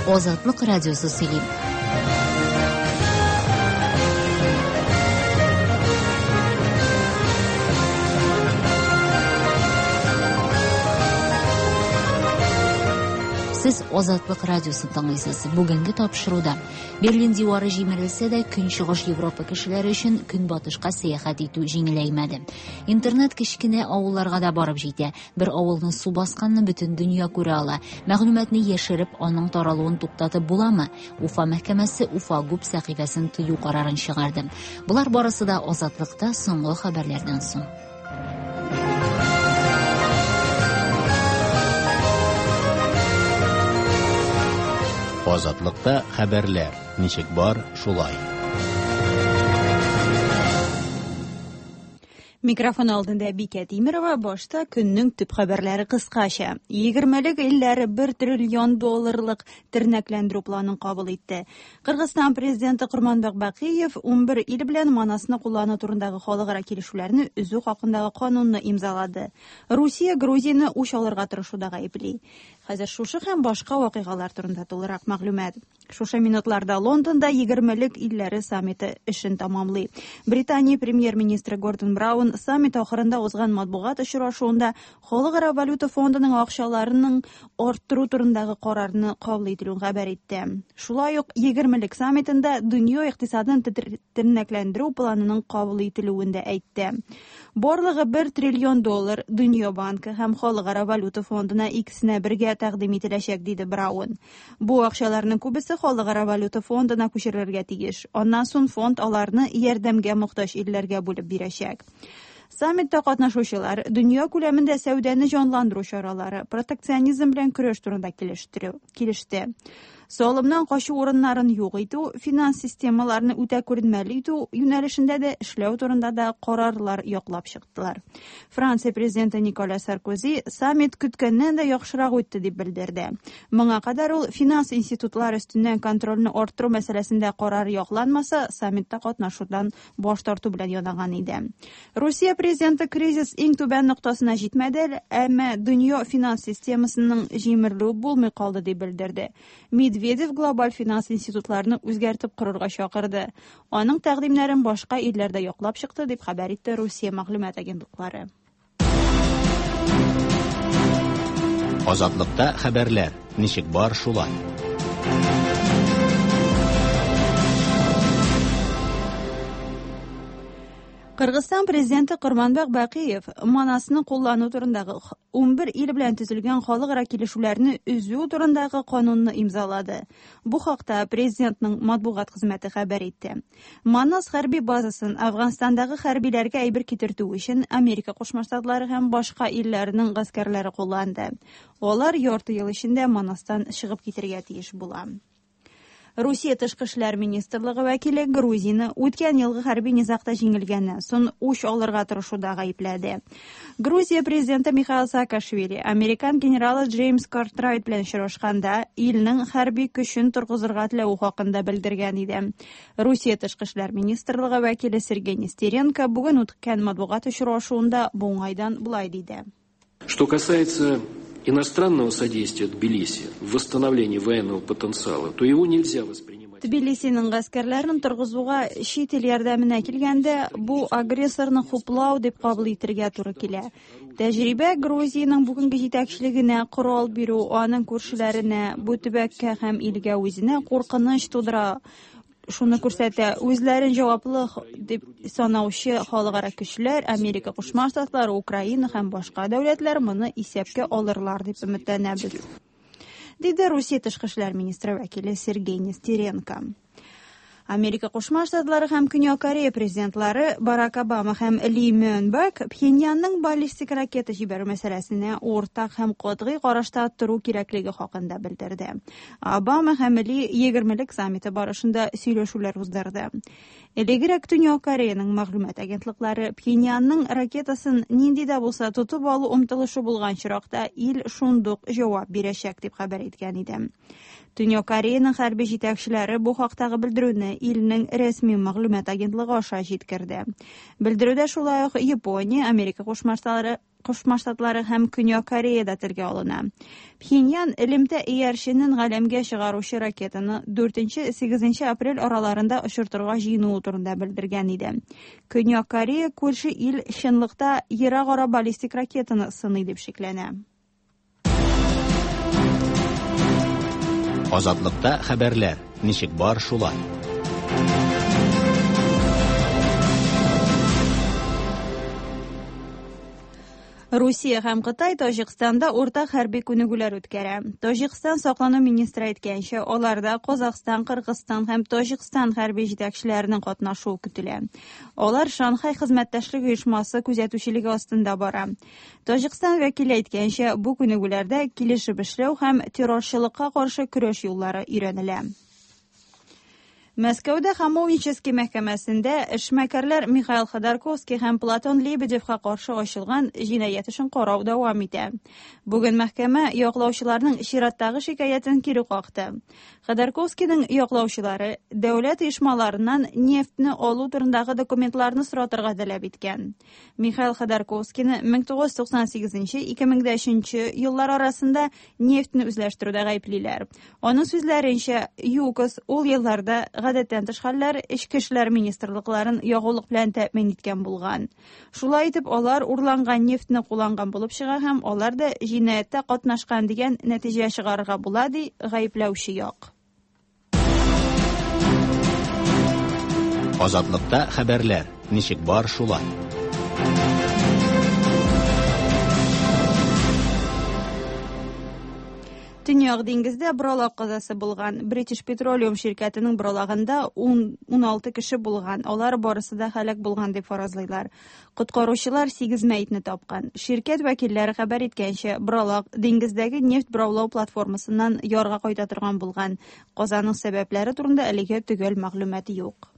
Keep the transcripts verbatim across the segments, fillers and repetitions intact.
Азатлык радиосы сөйли. Сез Азатлык радиосын тыңлыйсыз. Бүгенге тапшыруда Берлин дивары җимерелсә дә, Көнчыгыш Европа кешеләре өчен көнбатышка сәяхәт итү җиңеләймәде. Интернет кечкенә авылларга да барып җитә. Бер авылны су басканны бөтен дөнья күрә ала. Мәгълүматны яшереп, аның таралуын туктатып буламы? Уфа мәхкәмәсе Уфа ГУП сәхифәсен тыю карарын чыгарды. Болар барысы да Азатлыкта соңгы хәбәрләрдән соң. Азатлыкта хәбәрләр ничек бар, шулай. Микрофон алдында Бикә Тимирова. Башта көннең төп хәбәрләре кыскача. Егермелек илләре бер триллион долларлык тернәкләндерү планын кабул итте. Кыргызстан президенты Курманбек Бакиев унбер ил белән Манасны куллану турындагы халыкара килешүләрне өзү хакындагы канунны имзалады. Русия Грузияне үч алырга тырышуда гаепли. Хәзер шушы һәм башка вакыйгалар турында тулырак мәгълүмат. Шушы минутларда Лондонда егермелек илләре саммиты эшен тамамлый. Британия премьер-министры Гордон Браун саммит ахырында узган матбугат очрашуында Халыкара валюта фондының акчаларының арттыру турындагы карарны кабул ителүен хәбәр итте. Шулай ук егермелек саммитында дөнья икътисадын тернәкләндерү планының кабул ителүен дә әйтте. Барлыгы бер триллион доллар Дөнья банкы һәм Халыкара валюта фондына икесенә бергә тәкъдим ителәчәк, диде Браун. Бу акчаларның күбесе Халыкара валюта фондына күчерелергә тиеш. Аннан соң фонд аларны ярдәмгә мохтаҗ илләргә бүлеп бирәчәк. Саммитта катнашучылар дөнья күләмендә сәүдәне җанландыру чаралары, протекционизм белән көрәш турында килештерү килеште. Салымнан качу урыннарын юк итү, финанс системаларын үтә күренмәле итү юнәлешендә дә эшләү турында да карарлар яклап чыктылар. Франция президенты Николя Саркози саммит көткәннән дә яхшырак үтте дип белдерде. Моңа кадәр ул финанс институтлары өстеннән контрольне арттыру мәсьәләсендә карар якланмаса, саммитта катнашудан баш тарту белән янаган иде. Русия президенты кризис иң түбән ноктасына җитмәде, әмма дөнья финанс системасының җимерелүе булмый калды дип белдерде. Медведев глобаль финанс институтларны үзгәртеп корырга чакырды. Аның тәкъдимнәрен башка илләрдә яклап чыкты дип хәбәр итте Русия мәгълүмат агентлыклары. Азатлыкта хәбәрләр ничек бар, шулай. Кыргызстан президенты Курманбек Бакиев Манасны куллану турындагы унбер ил белән төзелгән халыкара килешүләрне өзү турындагы канунны имзалады. Бу хакта президентның матбугат хезмәте хәбәр итте. Манас хәрби базасын Афганстандагы хәрбиләргә әйбер китертү өчен Америка Кушма Штатлары һәм башка илләрнең гаскәрләре кулланды. Алар ярты ел эчендә Манастан чыгып китергә тиеш була. Русия тышкы эшләр министрлыгы вәкиле Грузияне үткән елгы хәрби низагта җиңелгәннән соң үч алырга тырышуда гаепләде. Грузия президенты Михаил Саакашвили американ генералы Джеймс Картрайт белән очрашканда илнең хәрби көчен торгызырга теләве хакында белдергән иде. Русия тышкы эшләр министрлыгы вәкиле Сергей Нестеренко бүген үткән матбугат очрашуында бу уңайдан болай диде. Что касается иностранного содействия Тбилиси в восстановлении военного потенциала, то его нельзя воспринимать. Тбилисиның гаскәрләрен торгызуга чит ил ярдәменә килгәндә, бу агрессорны хуплау дип кабул итәргә туры килә. Тәҗрибә Грузиянең бүгенге җитәкчелегенә корал бирү, аның күршеләренә, бу төбәккә һәм илгә үзенә куркыныч тудыра. Шуны күрсәтә, үзләрен җаваплы дип санаучы халыкара көчләр, Америка Кушма Штатлары, Украина һәм башка дәүләтләр моны исәпкә алырлар дип өметләнәбез, диде Русия тышкы эшләр министры вәкиле Сергей Нестеренко. Америка Кушма Штатлары һәм Көньяк Корея президентлары Барак Обама һәм Ли Мён Бак Пхеньянның баллистик ракета җибәрү мәсьәләсенә уртак һәм катгый карашта тору кирәклеге хакында белдерде. Обама һәм Ли егермелек саммиты барышында сөйләшүләр уздырды. Элегрәк Төньяк Кореяның мәгълүмат агентлыклары Пхеньянның ракетасын нинди дә булса тотып алу омтылышы булган очракта ил шундук җавап бирәчәк дип хәбәр иткән иде. Төньяк Кореяның хәрби җитәкчеләре бу хактагы белдерүне илнең рәсми мәгълүмат агентлыгы аша җиткерде. Белдерүдә шулай ук Япония, Америка Кушма Штатлары, Кушма Штатлары һәм Көньяк Кореяда телгә алына. Пхеньян элемтә иярченен галәмгә чыгаручы ракетаны дүртенче-сигезенче апрель араларында очыртырга җыенуы турында белдергән иде. Көньяк Корея күрше ил чынлыкта ерак ара баллистик ракетаны сыный дип шикләнә. Азатлыкта хәбәрләр ничек бар шулай. Русия һәм Кытай Таҗикстанда уртак хәрби күнегүләр үткәрә. Таҗикстан саклану министры әйткәнчә, аларда Казахстан, Кыргызстан һәм Таҗикстан хәрби җитәкчеләренең катнашуы көтелә. Алар Шанхай хезмәттәшлек оешмасы күзәтүчелеге астында бара. Таҗикстан вәкиле әйткәнчә, бу күнегүләрдә килешеп эшләү һәм террорчылыкка каршы көрәш юллары өйрәнелә. Мәскәүдә Хамовнический мәхкәмәсендә эшмәкәрләр Михаил Ходорковский һәм Платон Лебедевка каршы ачылган җинаять эшен карау дәвам итә. Бүген мәхкәмә яклаучыларның чираттагы шикаятен кире какты. Ходорковскийның яклаучылары дәүләт оешмаларыннан нефтьне алу турындагы документларны соратырга таләп иткән. Михаил Ходорковскийны мең тугыз йөз туксан сигезенче ике мең дә өченче еллар арасында нефтьне үзләштерүдә гаеплиләр. Аның сүзләренчә, ЮКОС ул елларда гадәттән тыш хәлләр эчке эшләр министрлыкларын ягулык белән тәэмин иткән булган. Шулай итеп, алар урланган нефтьне кулланган булып чыга һәм алар да җинаятьтә катнашкан дигән нәтиҗә чыгарырга була, ди гаепләүче як. Азатлыкта хәбәрләр ничек бар шулай. Төньяк диңгездә боралак казасы булган. British Petroleum ширкәтенең боралагында ун алты кеше булган. Алар барысы да һәлак булган дип фаразлыйлар. Коткаручылар сигез мәетне тапкан. Ширкәт вәкилләре хәбәр иткәнчә, боралак диңгездәге нефть бораулау платформасыннан ярга кайта торган булган. Казаның сәбәпләре турында әлегә төгәл мәгълүмат юк.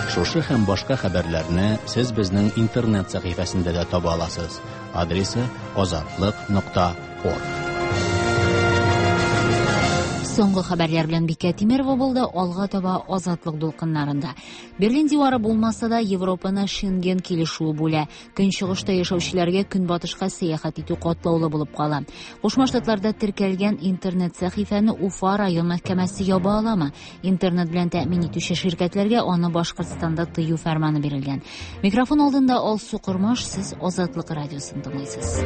Шушы һәм башка хәбәрләрне сез безнең интернет сәхифәсендә дә таба аласыз. Адресы азатлык нокта орг. Соңгы хәбәрләр белән Бикә Тимерова булды. Алга таба Азатлык дулкыннарында. Берлин дивары булмаса да, Европаны Шенген килешүе бүлә. Көнчыгышта яшәүчеләргә көнбатышка сәяхәт итү катлаулы булып кала. Кушма Штатларда теркәлгән интернет сәхифәне Уфа район мәхкәмәсе яба аламы? Интернет белән тәэмин итүче ширкәтләргә аны Башкортстанда тыю фәрманы бирелгән. Микрофон алдында Алсу Кормаш, сез Азатлык радиосын тыңлыйсыз.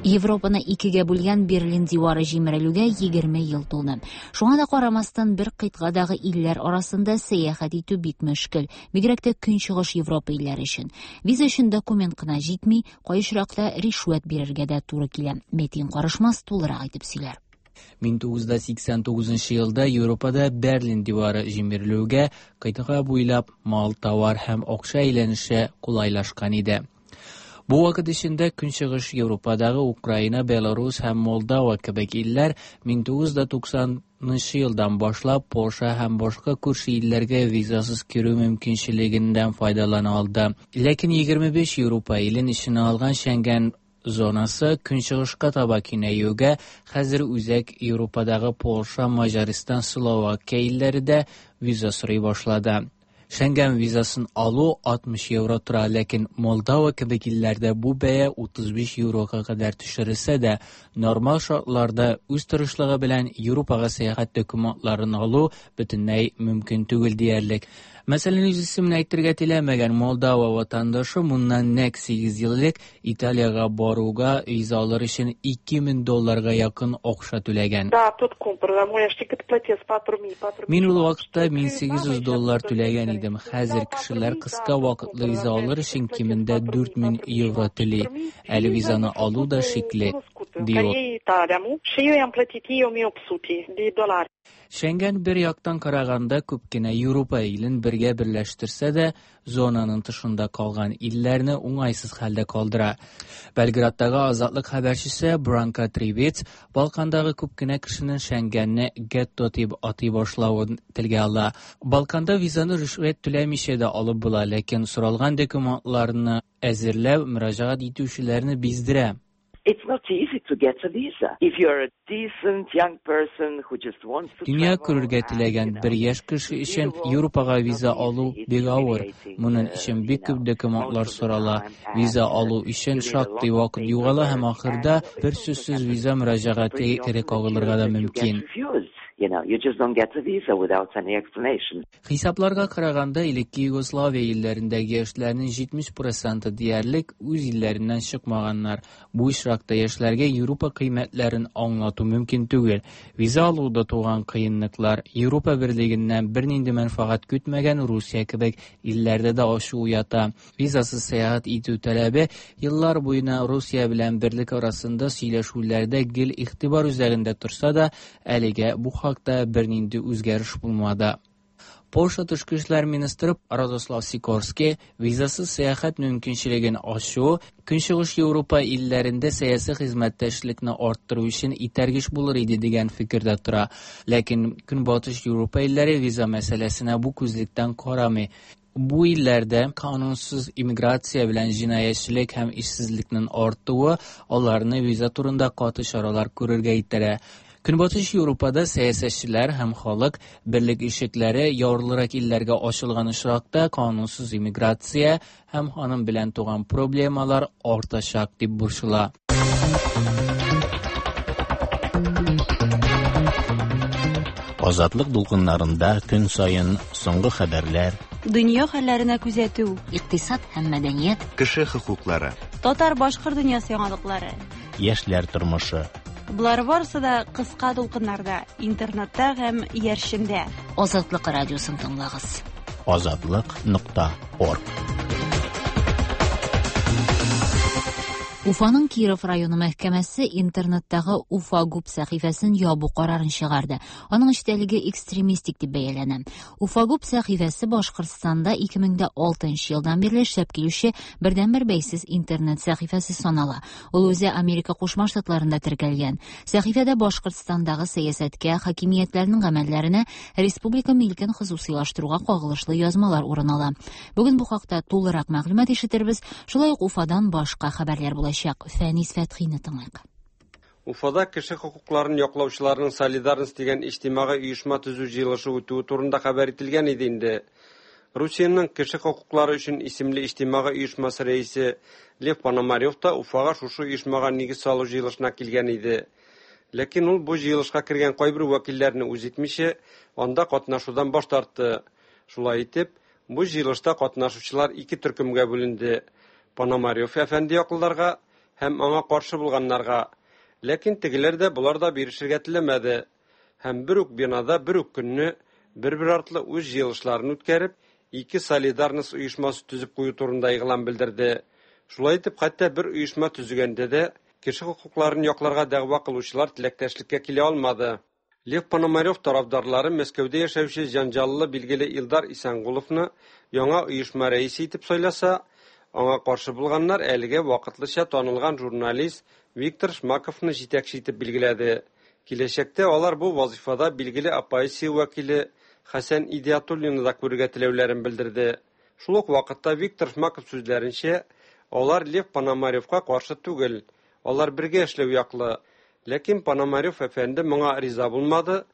Европаны икегә бүлгән Берлин дивары җимерелүгә егерме ел тулды. Шуңа да карамастан бер кыйтгадагы илләр арасында сәяхәт итү бик мөшкел, бигрәк тә Көнчыгыш Европа илләре өчен. Виза өчен документ кына җитми, кай очракта ришвәт бирергә дә туры килә. Метин Карышмас тулырак итеп сөйләр. мең тугыз йөз сиксән тугызынчы елда Европада Берлин дивары җимерелүгә кыйтга буйлап мал, товар һәм акча әйләнеше кулайлашкан иде. Бу вакыт эчендә Көнчыгыш Европадагы Украина, Беларус һәм Молдова кебек илләр мең тугыз йөз туксанынчы елдан башлап Польша һәм башка күрше илләргә визасыз керү мөмкинчелегеннән файдалана алды. Ләкин егерме биш Европа илен эченә алган Шенген зонасы Көнчыгышка таба киңәюгә хәзер Үзәк Европадагы Польша, Маҗаристан, Словакия илләре дә виза сорый башлады. Шенген визасын алу алтмыш евро тора, ләкин Молдова кебек илләрдә бу бәя утыз биш еврога кадәр төшерелсә дә, нормаль шартларда үз тырышлыгы белән Европага сәяхәт документларын алу бөтенләй мөмкин түгел диярлек. Мәсәлән, үз исемен әйтергә теләмәгән Молдова ватандашы моннан нәкъ сигез ел элек Италиягә баруга виза алыр өчен ике мең долларга якын акча түләгән. Да, тут кумпыр, да, мой, я платил патру ми, патру Мин ул вакытта мең сигез йөз доллар түләгән идем. Хәзер кешеләр кыска вакытлы виза алыр өчен кимендә дүрт мең евро түли. Әле визаны алу да шикле, ди ул. Шенген бер яктан караганда күп кенә Европа илен бергә берләштерсә дә, зонаның тышында калган илләрне уңайсыз хәлдә калдыра. Белградтагы Азатлык хәбәрчесе Бранка Трибец Балкандагы күп кенә кешенең Шенгенне гетто дип атый башлавын телгә ала. Балканда визаны ришвәт түләмичә дә алып була, ләкин соралган документларны әзерләү мөрәҗәгать итүчеләрне биздерә. It's not easy to get a visa. If you're a decent young person who just wants to Дөнья күрергә теләгән бер яшь кеше өчен Европага виза алу бик авыр. Моның өчен бик күп документлар сорала. Виза алу өчен шактый вакыт югала һәм ахырда бер сүзсез виза мөрәҗәгате кире кагылырга да мөмкин. You know, you just don't get a visa without any explanation. Хисапларга караганда, элекке Югославия илләрендәге яшьләрнең җитмеш проценты диярлек үз илләреннән чыкмаганнар. Бу очракта яшьләргә Европа кыйммәтләрен аңлату мөмкин түгел. Виза алуда туган кыенлыклар Европа берлегеннән бернинди мәнфәгать көтмәгән Русия кебек илләрдә дә ачу уята. Визасыз сәяхәт итү таләбе еллар буена Русия белән берлек арасында сөйләшүләрдә гел игътибар үзәгендә торса да, әлегә бу хакта бернинди үзгәреш булмады. Польша тышкы эшләр министры Радослав Сикорский визасыз сәяхәт мөмкинчелеген ачу Көнчыгыш Европа илләрендә сәяси хезмәттәшлекне арттыру өчен этәргеч булыр иде дигән фикердә тора. Ләкин Көнбатыш Европа илләре виза мәсьәләсенә бу күзлектән карамый. Бу илләрдә канунсыз иммиграция белән җинаятьчелек һәм эшсезлекнең артуы аларны виза турында каты чаралар күрергә этәрә. Көнбатыш Европада сәясәтчеләр һәм халык берлек ишекләре ярлырак илләргә ачылган очракта канунсыз иммиграция һәм аның белән туган проблемалар артачак дип борчыла. Азатлык дулкыннарында көн саен соңгы хәбәрләр, дөнья хәлләренә күзәтү, икътисад һәм мәдәният, кеше хокуклары, татар-башкорт дөньясы яңалыклары, яшьләр тормышы. Болар барысы да кыска дулкыннарда, интернетта һәм иярчендә. Азатлык радиосын тыңлагыз. Азатлык нокта орг. Уфаның Киров районы мәхкәмәсе интернеттагы Уфа ГУП сәхифәсен ябу карарын чыгарды. Аның эчтәлеге экстремистик дип бәяләнә. Уфа ГУП сәхифәсе Башкортстанда ике мең дә алтынчы елдан бирле эшләп килүче бердәнбер бәйсез интернет сәхифәсе санала. Ул үзе Америка Кушма Штатларында теркәлгән. Сәхифәдә Башкортстандагы сәясәткә, хакимиятләрнең гамәлләренә, республика милкен хосусыйлаштыруга кагылышлы язмалар урын ала. Бүген бу хакта тулырак мәгълүмат ишетербез. Шулай ук Уфадан башка хәбәрләр булачак. Фәнис Фәтхине тыңлыйк. Уфада кеше хокукларын яклаучыларның Солидарность дигән иҗтимагый оешма төзү җыелышы үтүе турында хәбәр ителгән иде инде. Русиянең кеше хокуклары өчен исемле иҗтимагый оешмасы рәисе Лев Пономарев та Уфага шушы оешмага нигез салу җыелышына килгән иде. Ләкин ул бу җыелышка кергән кайбер вәкилләрне үз итмичә, анда катнашудан баш тартты. Шулай итеп, бу җыелышта катнашучылар ике төркемгә бүленде. Пономарев әфәнде яклыларга һәм аңа каршы булганнарга. Ләкин тегеләр дә болар да бирешергә теләмәде. Һәм бер үк бинада бер үк көнне бер-бер артлы үз җыелышларын үткәреп, ике Солидарность оешмасы төзеп кую турында игълан белдерде. Шулай итеп, хәтта бер оешма төзегәндә дә кеше хокукларын якларга дәгъва кылучылар теләктәшлеккә килә алмады. Лев Пономарев тарафдарлары Мәскәүдә яшәүче җанҗаллы билгеле Илдар Исәнгуловны яңа оешма рәисе итеп сайласа, аңа каршы булганнар әлегә вакытлыча танылган журналист Виктор Шмаковны җитәкче итеп билгеләде. Киләчәктә алар бу вазифада билгеле оппозиция вәкиле Хәсән Идиатуллинны да күрергә теләүләрен белдерде. Шул ук вакытта Виктор Шмаков сүзләренчә, алар Лев Пономаревка каршы түгел, алар бергә эшләү яклы. Ләкин Пономарев әфәнде моңа риза булмады.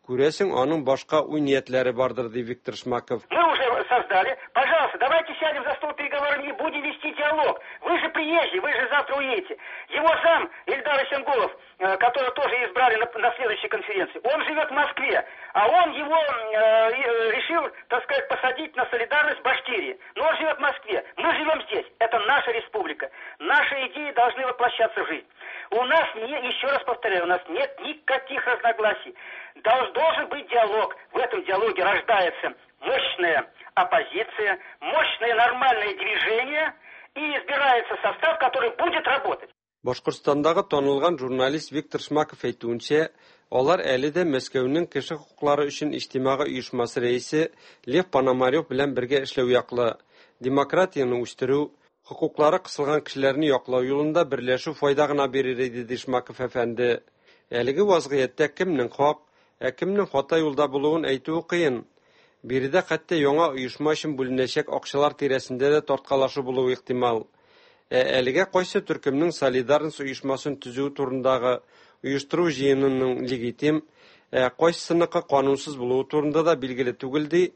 Күрәсең, аның башка уй-ниятләре бардыр, ди Виктор Шмаков. Мы уже создали. Пожалуйста, давайте сядем за стол переговоров и будем вести диалог. Вы же приезжие, вы же завтра уедете. Его зам Ильдар Исенгулов, которого тоже избрали на, на следующей конференции, он живет в Москве, а он его э, решил, так сказать, посадить на солидарность Башкирии. Но он живет в Москве, мы живем здесь. Это наша республика. Наши идеи должны воплощаться в жизнь. У нас, не, еще раз повторяю, у нас нет никаких разногласий. Должен быть диалог. В этом диалоге рождается мощная оппозиция, мощное нормальное движение и избирается состав, который будет работать. Башкортстандагы танылган журналист Виктор Шмаков әйтүенчә, алар әле дә Мәскәүнең кеше хокуклары өчен иҗтимагый оешмасы рәисе Лев Пономарев белән бергә эшләү яклы. Демократияне үстерү, хокуклары кысылган кешеләрне яклау юлында берләшү файда гына бирер иде, ди Шмаков әфәнде. Әлеге вазгыятьтә кемнең хак, ә кемнең хата юлда булуын әйтүе кыен. Биредә хәтта яңа оешма өчен бүленәчәк акчалар тирәсендә дә тарткалашу булуы ихтимал. Ә әлегә кайсы төркемнең Солидарность оешмасын төзү турындагы оештыру җыенының легитим, ә кайсысыныкы канунсыз булуы турында да билгеле түгел, ди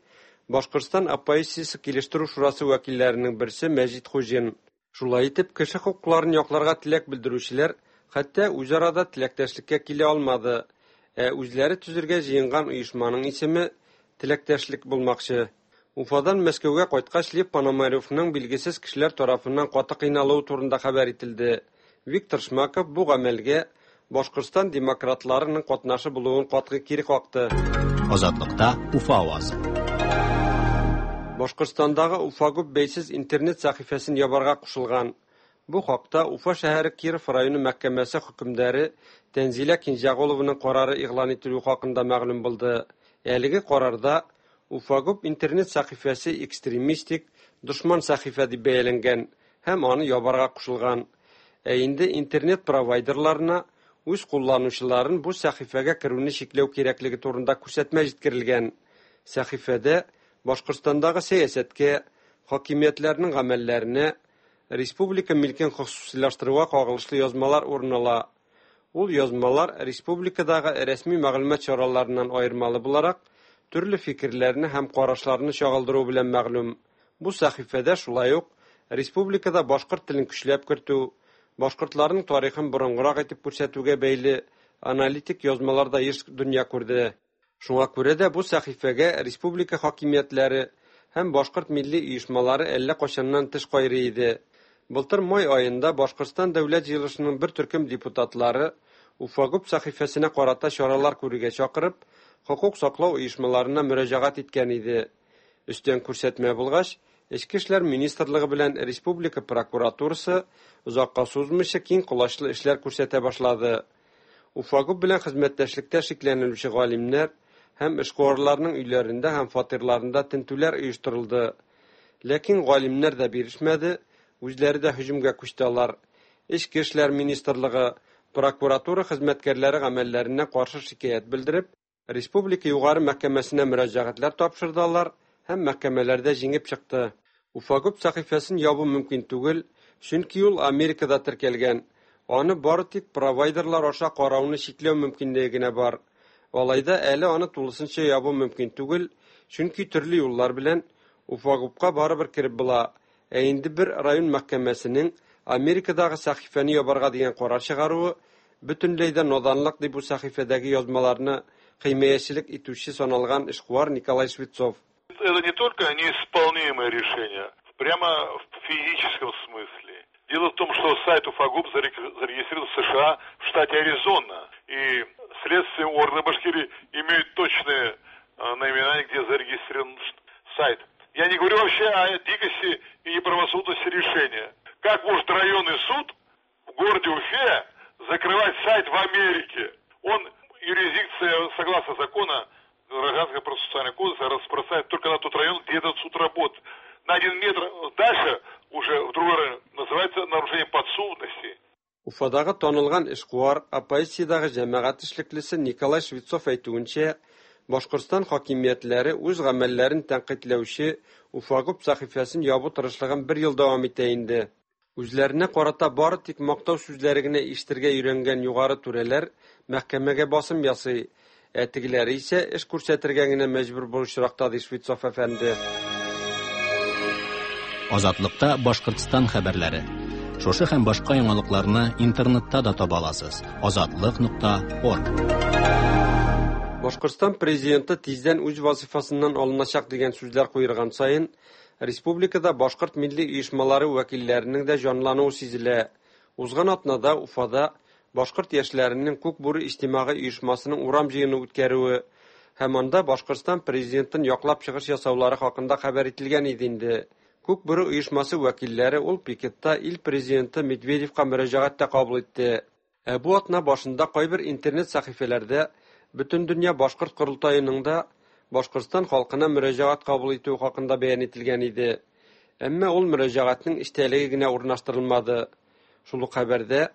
Башкортстан оппозициясе килештерү шурасы вәкилләренең берсе Мәҗит Хуҗин. Шулай итеп, кеше хокукларын якларга теләк белдерүчеләр хәтта үзара да теләктәшлеккә килә алмады. Ә үзләре төзергә җыенган оешманың исеме теләктәшлек булмакчы. Уфадан Мәскәүгә кайткач, Лев Пономаревның билгесез кешеләр тарафыннан каты кыйналуы турында хәбәр ителде. Виктор Шмаков бу гамәлгә Башкортстан демократларының катнашы булуын катгый кире какты. Азатлыкта Уфа авазы. Башкортстандагы Уфагуб бәйсез интернет сәхифәсен ябарга кушылган. Бу хакта Уфа шәһәре Киров районы мәхкәмәсе хөкемдары Тәнзилә Кинҗәгулованың карары игълан ителү хакында мәгълүм булды. Әлеге карарда Уфагуб интернет сәхифәсе экстремистик, дошман сәхифә дип бәяләнгән һәм аны ябарга кушылган. Ә инде интернет провайдерларына үз кулланучыларын бу сәхифәгә керүне чикләү кирәклеге турында күрсәтмә җиткерелгән. Сәхифәдә Башкортстандагы сәясәткә, хакимиятләрнең гамәлләренә, республика милкен хосусилаштыруга кагылышлы язмалар урын ала. Ул язмалар республикадагы рәсми мәгълүмат чараларыннан аермалы буларак, төрле фикерләрне һәм карашларны чагылдыру белән мәгълүм. Бу сәхифәдә шулай ук республикада башкорт телен көчләп кертү, башкортларның тарихын борынгырак итеп күрсәтүгә бәйле аналитик язмалар да еш дөнья күрде. Шуңа күрә дә бу сәхифәгә республика хакимиятләре һәм башкорт милли оешмалары әллә кайчаннан теш кайрый иде. Былтыр май аенда Башкортстан дәүләт җыелышының бер төркем депутатлары Уфагуб сәхифәсенә карата чаралар күрергә чакырып, хокук саклау оешмаларына мөрәҗәгать иткән иде. Өстән күрсәтмә булгач, Эчке эшләр министрлыгы белән республика прокуратурасы озакка сузмыйча киң колачлы эшләр күрсәтә башлады. Уфагуб белән хезмәттәшлектә шикләнелүче галимнәр һәм эшкуарларның өйләрендә һәм фатирларында тентүләр оештырылды. Ләкин галимнәр дә бирешмәде, үзләре дә һөҗүмгә күчте алар. Эчке эшләр министрлыгы прокуратура хезмәткәрләре гамәлләренә каршы шикаять белдереп, республика югары мәхкәмәсенә мөрәҗәгатьләр тапшырды алар һәм мәхкәмәләрдә җиңеп чыкты. Уфагуб сәхифәсен ябу мөмкин түгел, чөнки ул Америкада теркәлгән. Аны бары тик провайдерлар аша карауны чикләү мөмкинлеге генә бар. Алай да әле аны тулысынча ябу мөмкин түгел, чөнки төрле юллар белән Уфагубка барыбер кереп була. Ә инде бер район мәхкәмәсенең Америкадагы сәхифәне ябарга дигән карар чыгаруы бөтенләй дә наданлык дип бу сәхифәдәге язмаларны химаячелек итүче саналган эшкуар Николай Швецов. Это не только неисполнимое решение, прямо в физическом смысле. Дело в том, что сайт Уфагуб зарегистрирован в США в штате Аризона. И следственные органы Башкирии имеют точные наименования, где зарегистрирован сайт. Я не говорю вообще о дикости и неправосудности решения. Как может районный суд в городе Уфе закрывать сайт в Америке? Он, юрисдикция, согласно закону, Гражданского процессуального кодекса, распространяет только на тот район, где этот суд работает. На один метр дальше, уже в другой район, называется нарушение подсудности. Уфадагы танылган эшкуар, оппозициядагы җәмәгать эшлеклесе Николай Швецов әйтүенчә, Башкортстан хакимиятләре үз гамәлләрен тәнкыйтьләүче Уфагуб сәхифәсен ябу тырышлыгын бер ел дәвам итә инде. Үзләренә карата бары тик мактау сүзләре генә ишетергә өйрәнгән югары түрәләр мәхкәмәгә басым ясый. Ә тегеләре исә эш күрсәтергә генә мәҗбүр бу очракта, ди Швецов әфәнде. Азатлыкта Башкортстан хәбәрләре. Шушы һәм башка яңалыкларны интернетта да таба аласыз. Азатлык нокта орг. Башкортстан президенты тиздән үз вазифасыннан алыначак дигән сүзләр куерган саен, республикада башкорт милли оешмалары вәкилләренең дә җанлануы сизелә. Узган атнада Уфада башкорт яшьләренең Күк бүре иҗтимагый оешмасының урам җыены үткәрүе һәм анда Башкортстан президентын яклап чыгыш ясаулары хакында хәбәр ителгән иде инде. Күк бүре оешмасы вәкилләре ул пикетта ил президенты Медведевка мөрәҗәгать тә кабул итте. Ә бу атна башында кайбер интернет сәхифәләрдә Бөтендөнья башкорт корылтаеның да Башкортстан халкына мөрәҗәгать кабул итү хакында бәян ителгән иде. Әмма ул мөрәҗәгатьнең эчтәлеге генә урнаштырылмады. Шул ук хәбәрдә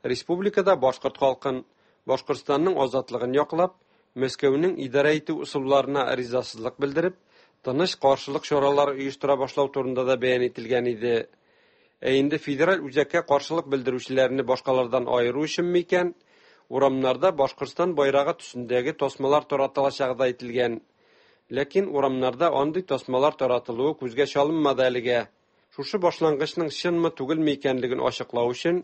республикада башкорт халкын, Башкортстанның азатлыгын яклап, Мәскәүнең идарә итү ысулларына ризасызлык белдереп, тыныч каршылык чаралары оештыра башлау турында да бәян ителгән иде. Ә инде федераль үзәккә каршылык белдерүчеләрне башкалардан аеру өченме икән, урамнарда Башкортстан байрагы төсендәге тасмалар таратылачагы да әйтелгән. Ләкин урамнарда андый тасмалар таратылуы күзгә чалынмады әлегә. Шушы башлангычның чынмы түгелме икәнлеген ачыклау өчен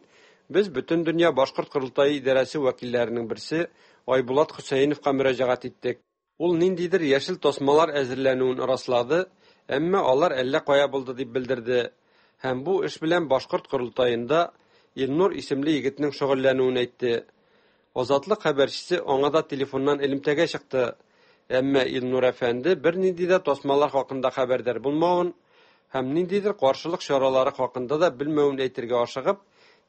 без Бөтендөнья Башкорт Корылтае идарәсе вәкилләренең берсе Айбулат Хөсәеновка мөрәҗәгать иттек. Ул ниндидер яшел тасмалар әзерләнүен раслады, әмма алар әллә кая булды дип белдерде. Һәм бу эш белән Башкорт Корылтаенда Илнур исемле егетнең шөгыльләнүен әйтте. Азатлык хәбәрчесе аңа да телефоннан элемтәгә чыкты. Әмма Илнур әфәнде бернинди дә тасмалар хакында хәбәрдар булмавын һәм ниндидер каршылык чаралары хакында да белмәвен әйтергә ашыгып,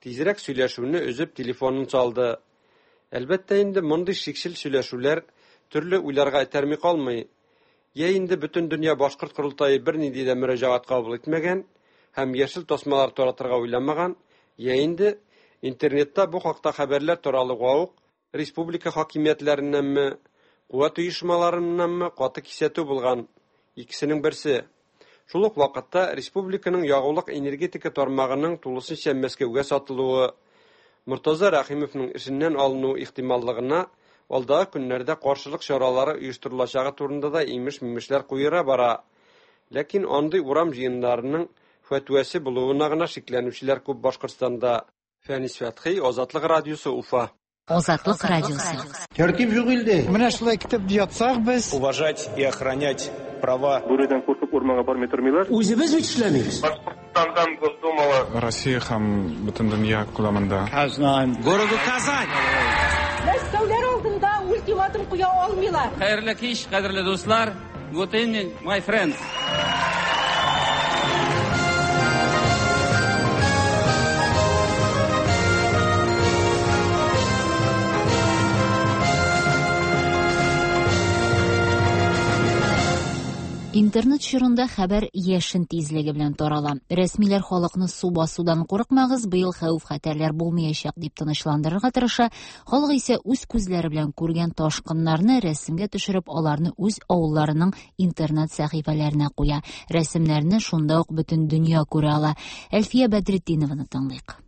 тизрәк сөйләшүне өзеп телефонын салды. Әлбәттә инде мондый шикчел сөйләшүләр төрле уйларга этәрми калмый. Я инде Бөтендөнья Башкорт Корылтае бернинди дә мөрәҗәгать кабул итмәгән һәм яшел тасмалар таратырга уйламаган, я инде интернетта бу хакта хәбәрләр таралуга ук республика хакимиятләреннәнме, куәт оешмаларыннанмы каты кисәтү булган. Икесенең берсе. Шул ук вакытта республиканың ягулык энергетика тармагының тулысынча Мәскәүгә сатылуы, Мортаза Рәхимовның эшеннән алыну ихтималлыгына алдагы көннәрдә каршылык чаралары оештырылачагы турында да имеш-мимешләр куера бара. Ләкин андый урам җыеннарының фәтвәсе булуына гына шикләнүчеләр күп Башкортстанда. Фәнис Фәтхи, Азатлык радиосы, Уфа. Азатлык радиосы. Тәртип юк илдә. Менә шулай китеп ятсак без. Уважать и охранять права. Бүредән куркып урманга бармый тормыйлар. Үзебез бит эшләмибез. Башкортстандан Госдумага. Россия һәм бөтен дөнья күләмендә. Казан. Городу Казань. Мәскәүләр алдында ультиматум куя алмыйлар. Хәерле кич, кадерле дуслар. Good evening, my friends. Интернет чорында хәбәр яшен тизлеге белән тарала. Рәсмиләр халыкны су басудан курыкмагыз, быел хәвеф-хәтәрләр булмаячак дип тынычландырырга тырыша. Халык исә үз күзләре белән күргән ташкыннарны рәсемгә төшереп, аларны үз авылларының интернет сәхифәләренә куя. Рәсемнәрне шунда ук бөтен дөнья күрә ала. Әлфия Бәдретдинованы тыңлыйк.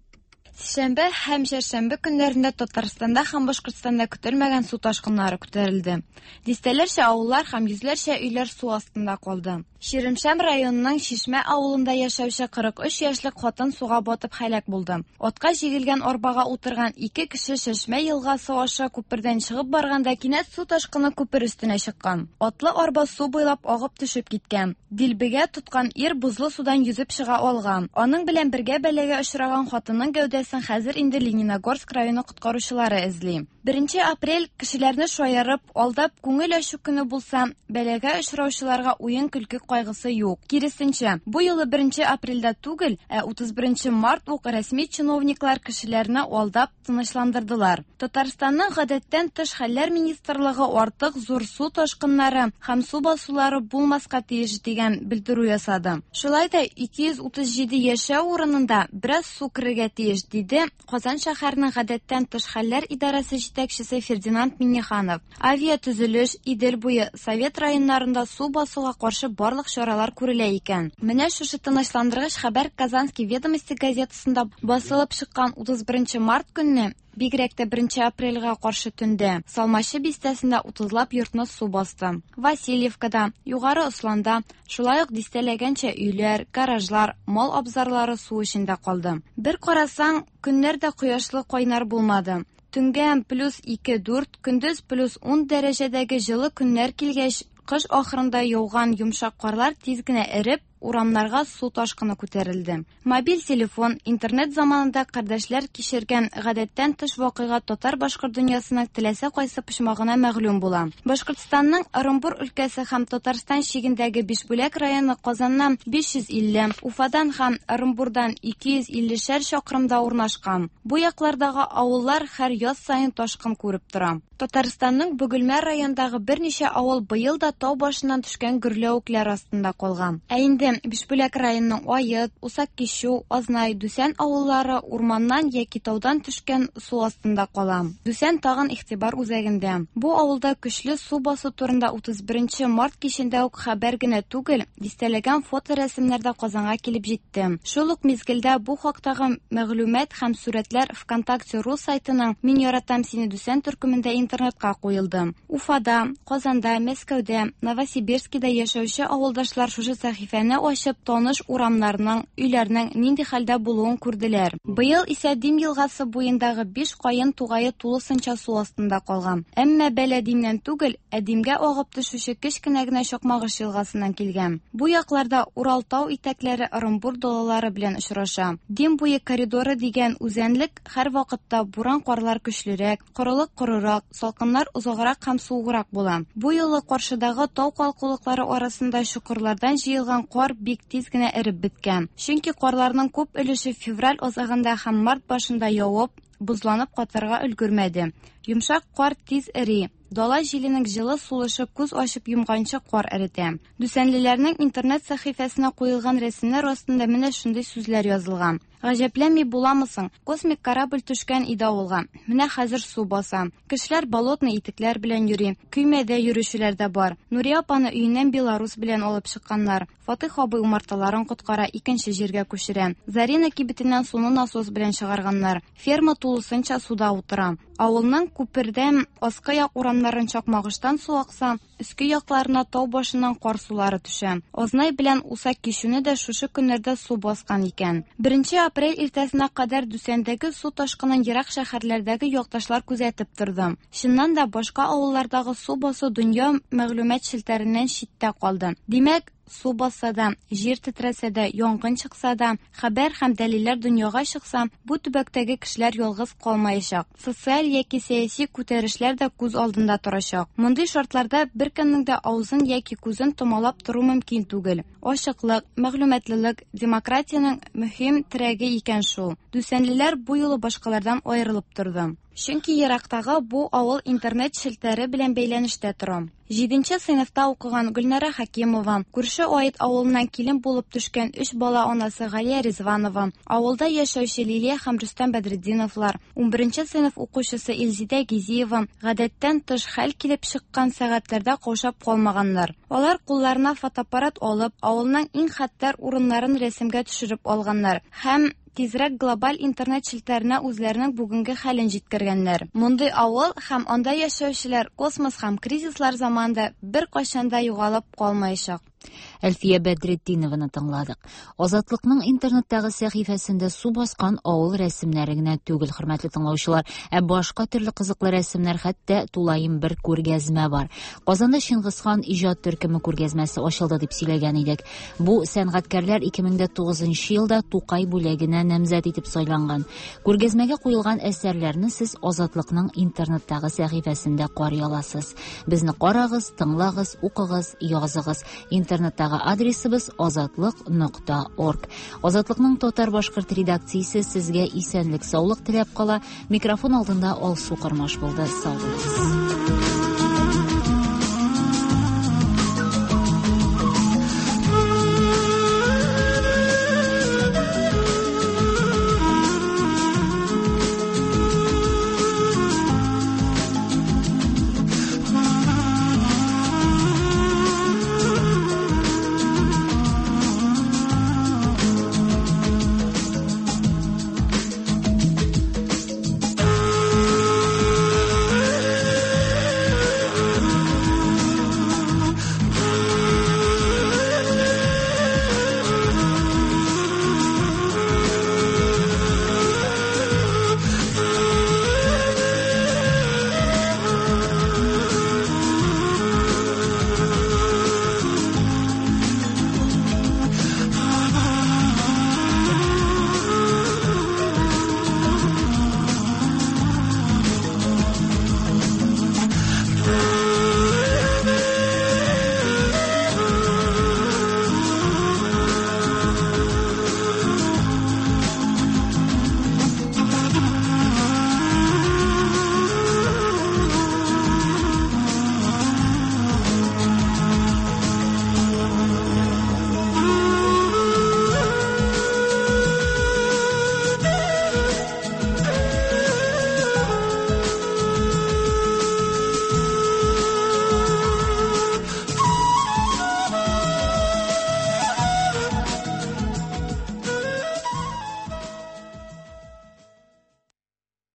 Сишәмбе һәм чәршәмбе көннәрендә Татарстанда һәм Башкортстанда көтелмәгән су ташкыннары күтәрелде. Дистәләрчә авыллар һәм йөзләрчә өйләр су астында калды. Чирмешән районының Чишмә авылында яшәүче кырык өч яшьлек хатын суга батып һәлак булды. Атка җигелгән арбага утырган ике кеше Чишмә елгасы аша күпердән чыгып барганда кинәт су ташкыны күпер өстенә чыккан. Атлы арба су буйлап агып төшеп киткән. Дилбегә тоткан ир бозлы судан йөзеп чыга алган. Аның белән бергә бәлагә очраган хатынның гәүдәсен хәзер инде Лениногорск районы коткаручылары эзли. Беренче апрель кешеләрне шаярып, алдап күңел ачу көне булса, бәлагә очраучыларга уен-көлке кайгысы юк. Киресенчә, бу юлы беренче апрельдә түгел, ә утыз беренче март ук рәсми чиновниклар кешеләрне алдап тынычландырдылар. Татарстанның гадәттән тыш хәлләр министрлыгы артык зур су ташкыннары һәм су басулары булмаска тиеш дигән белдерү ясады. Шулай да ике йөз утыз җиде яшәү урынында бераз су керергә тиеш, диде Казан шәһәренең гадәттән тыш хәлләр идарәсе җитәкчесе Фердинанд Минниханов. Авиатөзелеш, Идел буе, Совет районнарында су басуга каршы барлык чаралар күрелә икән. Менә шушы тынычландыргыч хәбәр Казанский ведомости газетасында басылып чыккан утыз беренче март көнне, бигрәк тә беренче апрельгә каршы төндә, Салмачы бистәсендә утызлап йортны су басты. Васильевкада, Югары Осланда шулай ук дистәләгәнчә өйләр, гаражлар, мал абзарлары су эчендә калды. Бер карасаң, көннәр дә кояшлы кайнар булмады. Төнгә плюс ике дүрт, көндез плюс ун дәрәҗәдәге җылы көннәр килгәч, кыш ахырында яуган йомшак карлар тиз генә эреп, урамнарга су ташкыны күтәрелде. Мобиль телефон, интернет заманында кардәшләр кичергән гадәттән тыш вакыйга татар-башкорт дөньясының теләсә кайсы почмагына мәгълүм була. Башкортстанның Ырымбур өлкәсе һәм Татарстан чигендәге Бишбүләк районы Казаннан биш йөз илле, Уфадан һәм Ырымбурдан ике йөз иллешәр чакрымда урнашкан. Бу яклардагы авыллар һәр яз саен ташкын күреп тора. Татарстанның Бөгелмә районындагы берничә авыл быел да тау башыннан төшкән гөрләвекләр астында калган. Ә инде инде Бишбүләк районының Ает, Усак-Кичү, Азнай, Дүсән авыллары урманнан яки таудан төшкән су астында кала. Дүсән тагын игътибар үзәгендә. Бу авылда көчле су басу турында утыз беренче март кичендә үк хәбәр генә түгел, дистәләгән фоторәсемнәр дә Казанга килеп җитте. Шул ук мизгелдә бу хактагы мәгълүмат һәм сурәтләр ВКонтакте рус сайтының Мин яратам сине Дүсән төркемендә интернетка куелды. Уфада, Казанда, Мәскәүдә, Новосибирскида яшәүче авылдашлар шушы сәхифәне ачып, таныш урамнарның, өйләрнең нинди хәлдә булуын күрделәр. Быел исә Дим елгасы буендагы биш каен тугае тулысынча су астында калган. Әмма бәла Димнән түгел, ә Димгә агып төшүче кечкенә генә Чакмагыш елгасыннан килгән. Бу якларда Урал тау итәкләре Ырымбур далалары белән очраша. Дим буе коридоры дигән үзәнлек һәр вакытта буран карлар көчлерәк, корылык корырак, салкыннар озаграк һәм суыграк була. Бу юлы каршыдагы тау калкулыклары арасында чокырлардан җыелган кар бик тиз генә эреп беткән. Чөнки карларның күп өлеше февраль азагында һәм март башында явып, бозланып катырга өлгермәде. Йомшак кар тиз эри. Дала җиленең җылы сулышы күз ачып йомганчы кар эретә. Дүсәнлеләрнең интернет сәхифәсенә куелган рәсемнәр астында менә шундый сүзләр язылган. Гаҗәпләнми буламысың? Космик корабль төшкән иде авылга. Менә хәзер су баса. Кешеләр болотный итекләр белән йөри. Көймәдә йөрүчеләр дә бар. Нурия апаны өеннән Беларус белән алып чыкканнар. Фатих абый умарталарын коткара, икенче җиргә күчерә. Зарина кибетеннән суны насос белән чыгарганнар. Ферма тулысынча суда утыра. Авылның күпердән аскы як урамнарын Чакмагыштан су акса, өске якларына тау башыннан кар сулары төшә. Азнай белән Усак-Кичүне дә шушы көннәрдә су баскан икән. Беренче апрель иртәсенә кадәр Дүсәндәге су ташкынын ерак шәһәрләрдәге якташлар күзәтеп торды. Чыннан да башка авыллардагы су басу дөнья мәгълүмат челтәреннән читтә калды. Димәк, су басса да, җир тетрәсә дә, янгын чыкса да, хәбәр һәм дәлилләр дөньяга чыкса, бу төбәктәге кешеләр ялгыз калмаячак. Социаль яки сәяси күтәрешләр дә күз алдында торачак. Мондый шартларда беркемнең дә авызын яки күзен томалап тору мөмкин түгел. Ачыклык, мәгълүматлылык демократиянең мөһим терәге икән шул. Дүсәнлеләр бу юлы башкалардан аерылып торды. Чөнки ерактагы бу авыл интернет челтәре белән бәйләнештә тора. Җиденче сыйныфта укыган Гөлнара Хакимова, күрше Ает авылыннан килен булып төшкән өч бала анасы Галия Ризванова, авылда яшәүче Лилия һәм Рөстәм Бәдретдиновлар, унберенче сыйныф укучысы Илзидә Гизиева гадәттән тыш хәл килеп чыккан сәгатьләрдә каушап калмаганнар. Алар кулларына фотоаппарат алып, авылның иң хәтәр урыннарын рәсемгә төшереп алганнар һәм тизрәк глобаль интернет челтәренә үзләренең бүгенге хәлен җиткергәннәр. Мондый авыл һәм анда яшәүчеләр космос һәм кризислар заманында беркайчан да югалып калмаячак. Әлфия Бәдретдинованы тыңладык. Азатлыкның интернеттагы сәхифәсендә су баскан авыл рәсемнәре генә түгел, хөрмәтле тыңлаучылар, ә башка төрле кызыклы рәсемнәр, хәтта тулаем бер күргәзмә бар. Казанда Чингисхан иҗат төркеме күргәзмәсе ачылды дип сөйләгән идек. Бу сәнгатькәрләр ике мең дә тугызынчы елда Тукай бүләгенә намзәт итеп сайланган. Күргәзмәгә куелган әсәрләрне сез Азатлыкның интернеттагы сәхифәсендә карый аласыз. Безне карагыз, тыңлагыз, укыгыз, языгыз. Интернеттагы адресыбыз азатлык нокта орг. Азатлыкның татар-башкорт редакциясе сезгә исәнлек, саулык теләп кала. Микрофон алдында Алсу Кормаш булды. Сау булыгыз.